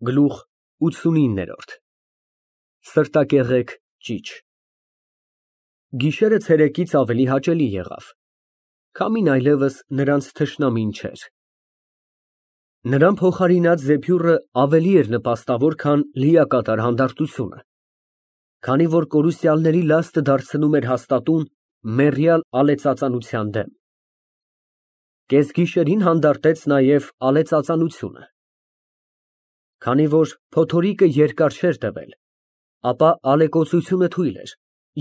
Գլուխ ութսունիններորդ Սրտակեղեկ ճիչ Գիշերը ցերեկից ավելի հաճելի եղավ, քամին այլևս նրանց թշնամին չէր։ Նրան փոխարինած զեփյուռը ավելի էր նպաստավոր, քան լիակատար հանդարտությունը, քանի որ կորուսյալների լաստը դարձնում էր հաստատուն մեռյալ ալեցածանության դեմ։ Կեսգիշերին հանդարտեց նաև ալեցածանությունը։ Քանի որ փոթորիկը երկար չէր տևել, ապա ալեկոծությունը թույլ էր,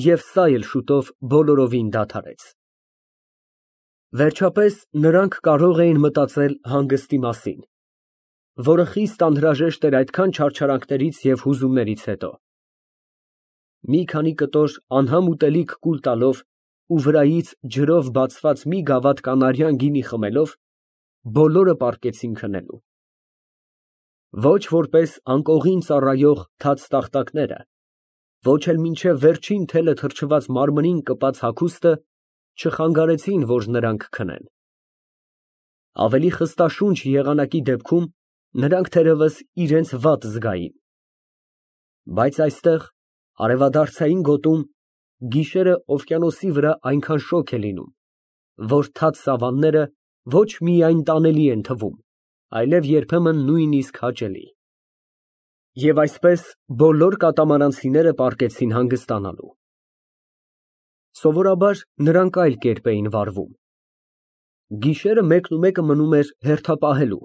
և սա էլ շուտով բոլորովին դադարեց։ Վերջապես նրանք կարող էին մտածել հանգստի մասին, որը խիստ անհրաժեշտ էր այդքան չարչարանքներից և հուզումներից հետո։ Մի քանի կտոր անհամ ուտելիք կուլ տալով ու վրայից ջրով բացված մի գավաթ կանարյան գինի խմելով, բոլորը պառկեցին քնելու։ Ոչ որպես անկողին ծառայող թաց տախտակները, ոչ էլ մինչև վերջին թելը թրջված մարմնին կպած հագուստը չխանգարեցին, որ նրանք քնեն։ Ավելի խստաշունչ եղանակի դեպքում նրանք թերևս իրենց վատ զգային։ Բայց այստեղ, արևադարձային գոտում, գիշերը օվկիանոսի վրա այնքան շոգ է լինում, որ թաց սավանները ոչ միայն տանելի են թվում, այլև երբեմն նույնիսկ հաճելի։ Եվ այսպես բոլոր կատամարանցիները պառկեցին հանգստանալու։ Սովորաբար նրանք այլ կերպ էին վարվում։ Գիշերը մեկը մնում էր հերթապահելու,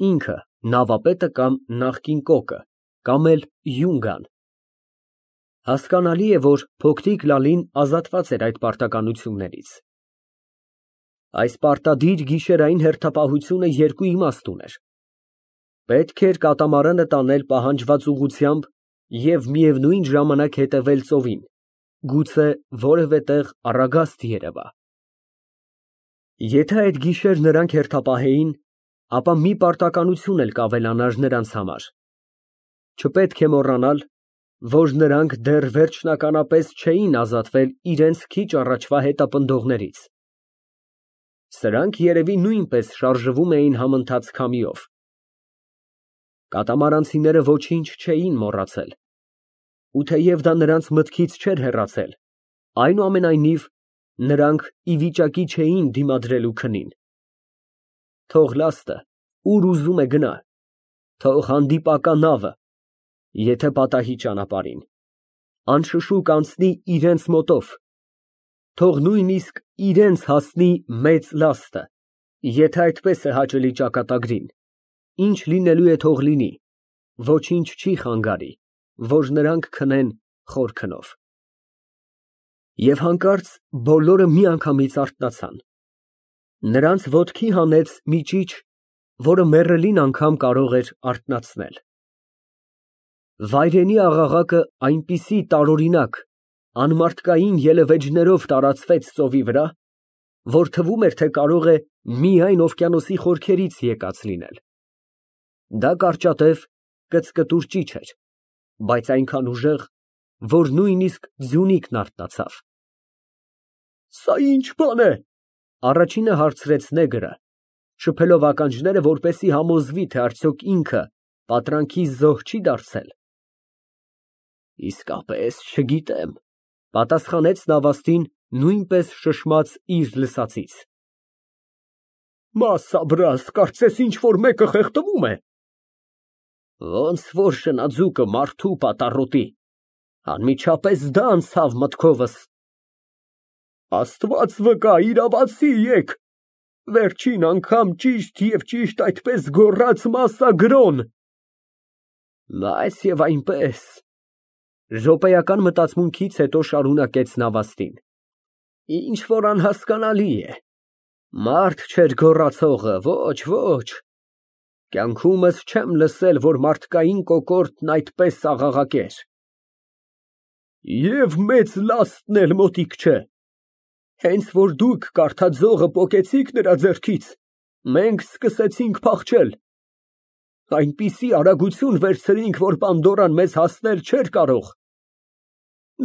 ինքը, նավապետը կամ նախկին կոկը, կամ էլ յունգան։ Հասկանալի է, որ փոքրիկ Լալին ազատված էր այդ պարտականություններից։ Այս պարտադիր գիշերային հերթապահությունը երկու իմաստ ուներ. պետք էր կատամարանը տանել պահանջված ուղղությամբ և միևնույն ժամանակ հետևել ծովին, գուցե որևէ տեղ առագաստ երևա։ Եթե այդ գիշեր նրանք հերթապահեին, ապա մի պարտականություն էլ կավելանար նրանց համար. չպետք է մոռանալ, որ նրանք դեռ վերջնականապես չէին ազատվել իրենց քիչ առաջվա հետապնդողներից։ Սրանք երևի նույնպես շարժվում էին համընթաց քամիով։ Կատամարանցիները ոչինչ չէին մոռացել, ու թեև դա նրանց մտքից չէր հեռացել, այնուամենայնիվ նրանք ի վիճակի չէին դիմադրելու քնին։ Թող լաստը ուր ուզում է գնա, թող հանդիպակա նավը, եթե պատահի ճանապարհին, անշշուկ անցնի իրենց մոտով, թող նույնիսկ իրենց հասնի մեծ լաստը, եթե այդպես է հաճելի ճակատագրին, ինչ լինելու է թող լինի, ոչինչ չի խանգարի, որ նրանք քնեն խոր քնով։ Եվ հանկարծ բոլորը միանգամից արթնացան։ Նրանց ոտքի հանեց մի ճիչ, որը մեռելին անգամ կարող էր արթնացնել։ Վայրենի աղաղակը այնպիսի տարօրինակ, անմարդկային ելևէջներով տարածվեց ծովի վրա, որ թվում էր, թե կարող է միայն օվկիանոսի խորքերից եկած լինել։ Դա կարճատև, կծկտուր ճիչ էր, բայց այնքան ուժեղ, որ նույնիսկ ձյունիկն արթնացավ։ «Սա ի՞նչ բան է», առաջինը հարցրեց նեգրը, շփելով ականջները, որպեսզի համոզվի, թե արդյոք ինքը պատրանքի զոհ չի դարձել։ «Իսկապես չգիտեմ», պատասխանեց նավաստին, նույնպես շշմած իր լսածից։ «Մասաբրաս, կարծես ինչ֊որ մեկը խեղդվում է»։ «Ոնց որ շնաձուկը մարդու պատառոտի, անմիջապես դա անցավ մտքովս»։ «Աստված վկա, իրավացի եկ, վերջին անգամ ճիշտ և ճիշտ այդպես գոռաց մասագրոն»։ «Բայց և այնպես», րոպեական մտածմունքից հետո շարունակեց նավաստին, «ինչ֊որ անհասկանալի է, մարդ չէր գոռացողը, ոչ, կյանքումս չեմ լսել, որ մարդկային կոկորդն այդպես աղաղակեր։ Եվ մեծ լաստն էլ մոտիկ չէ, հենց որ դուք կարդաձողը պոկեցիք նրա ձեռքից, մենք սկսեցինք փախչել, այնպիսի արագություն վերցրինք, որ Պանդորան մեզ հասնել չէր կարող։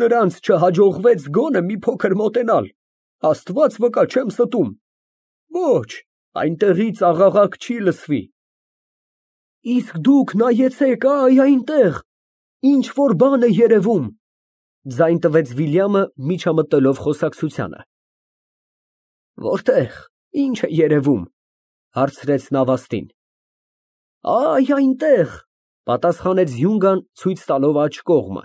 Նրանց չհաջողվեց գոնե մի փոքր մոտենալ, Աստված վկա, չեմ ստում, ոչ, այնտեղից աղաղակ չի լսվի։ Իսկ դուք նայեցեք, այնտեղ, ինչ որ բան է երևում, ձայն տվեց Վիլյամը, միջամտելով խոսակցությանը։ Որտե՞ղ, ինչ է երևում, հարցրեց Նավաստին։ Այնտեղ, պատասխանեց Յունգան, ցույց տալով աջ կողմը։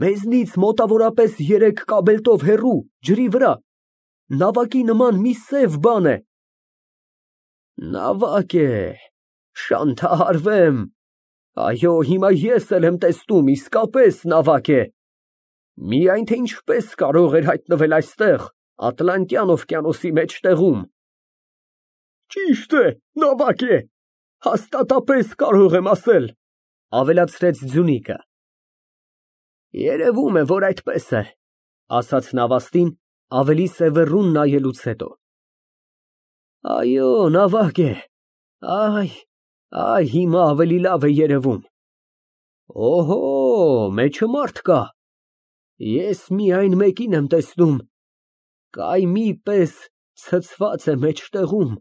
Մեզնից մոտավորապես 3 կաբելտով հեռու, ջրի վրա, նավակի նման մի սև բան է։ Նավակ է, շանթահարվեմ, այո, հիմա ես էլ եմ տեսնում, իսկապես նավակ է, միայն թե ինչպես կարող էր հայտնվել այստեղ, Ատլանտյան օվկիանոսի մեջտեղում։ Ճիշտ է, նավակ է, հաստատապես կարող եմ ասել, ավելացրեց Ձյունիկը։ Երևում է, որ այդպես է, ասաց Նավաստին, ավելի սևեռուն նայելուց հետո։ Այո, նավակ է, այ հիմա ավելի լավ է երևում։ Օհո, մեջը մարդ կա, ես միայն մեկին եմ տեսնում, կայմի պես ցցված է մեջտեղում,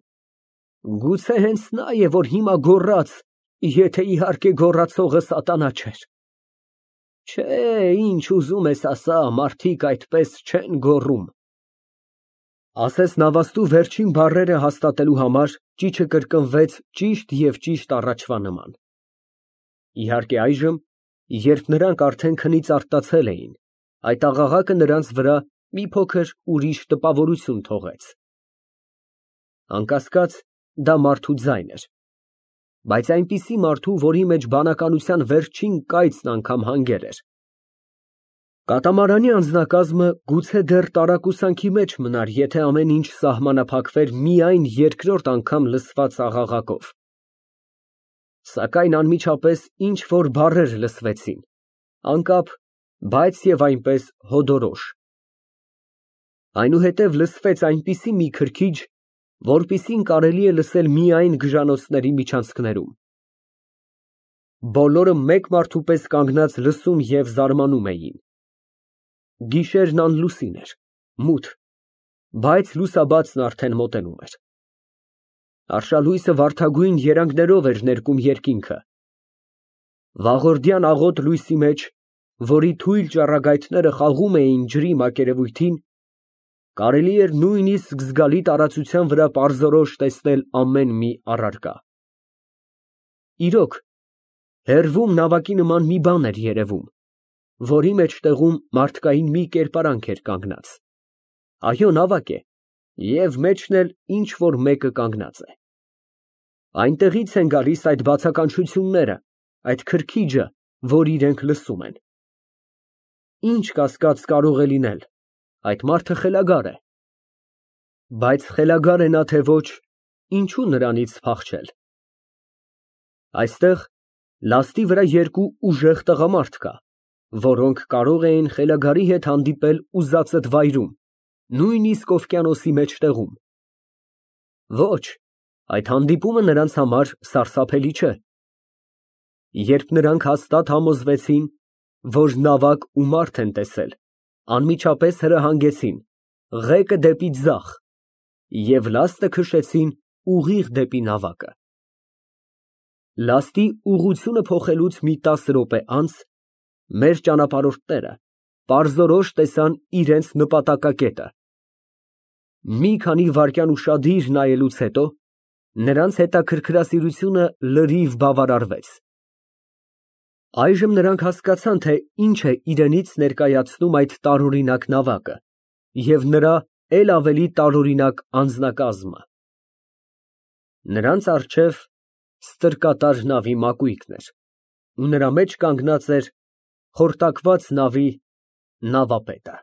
գուցե հենց նա է, որ հիմա գոռաց, եթե իհարկե գոռացողը սատանա չէր։ Չէ, ինչ ուզում ես ասա, մարդիկ այդպես չեն գոռում։ Ասես Նավաստու վերջին բառերը հաստատելու համար ճիչը կրկնվեց ճիշտ և ճիշտ առաջվա նման։ Իհարկե այժմ, երբ նրանք արդեն քնից արտացել էին, այդ աղաղակը նրանց վրա մի փոքր ուրիշ տպավորություն թողեց։ Անկասկած, դա մարդու ձայն էր, բայց այնպիսի մարդու, որի մեջ բանականության վերջին կայծն անգամ հանգել էր։ Կատամարանի անձնակազմը գուցե դեռ տարակուսանքի մեջ մնար, եթե ամեն ինչ սահմանափակվեր միայն երկրորդ անգամ լսված աղաղակով։ Սակայն անմիջապես ինչ-որ բառեր լսվեցին, անկապ, բայց և այնպես հոդորոշ։ Այնուհետև լսվեց այնպիսի մի քրքիջ, որպիսին կարելի է լսել միայն գժանոցների միջանցքներում։ Բոլորը մեկ մարդու պես կանգնած լսում և զարմանում էին։ Գիշերն անլուսին էր, մութ, բայց լուսաբացն արդեն մոտենում էր։ Արշալույսը վարդագույն երանգներով էր ներկում երկինքը։ Վաղորդյան աղոտ լույսի մեջ, որի թույլ ճառագայթները խաղում էին ջրի մակերևույթին, կարելի էր նույնիսկ զգալի տարածության վրա պարզորոշ տեսնել ամեն մի առարկա։ Իրոք, հեռվում նավակի նման մի բան էր երևում, որի մեջտեղում մարդկային մի կերպարանք էր կանգնած։ Այո, նավակ է, և մեջն էլ ինչ որ մեկը կանգնած է։ Այնտեղից են գալիս այդ բացականչությունները, այդ քրքիջը, որ իրենք լսում են։ Ինչ կասկած կարող է լինել, այդ մարդը խելագար է։ Բայց խելագար է նա թե ոչ, ինչու նրանից փախչել։ Այստեղ լաստի վրա 2 ուժեղ տղամարդ կա, որոնք կարող էին խելագարի հետ հանդիպել ուզածդ վայրում, նույնիսկ օվկիանոսի մեջտեղում։ Ոչ, այդ հանդիպումը նրանց համար սարսափելի չէ։ Երբ նրանք հաստատ համոզվեցին, որ նավակ ու մարդ են տեսել, անմիջապես հրահանգեցին, ղեկը դեպի ձախ, և լաստը քշեցին ուղիղ դեպի նավակը։ Լաստի ուղղությունը փոխելուց մի 10 րոպե անց մեր ճանապարհորդները պարզորոշ տեսան իրենց նպատակակետը։ Մի քանի վայրկյան ուշադիր նայելուց հետո նրանց հետաքրքրասիրությունը լրիվ բավարարվեց։ Այժմ նրանք հասկացան, թե ինչ է իրենից ներկայացնում այդ տարօրինակ նավակը և նրա էլ ավելի տարօրինակ անձնակազմը։ Նրանց առջև ստրկատար նավի մակույկն էր, ու նրա մեջ կանգնած էր խորտակված նավի նավապետը։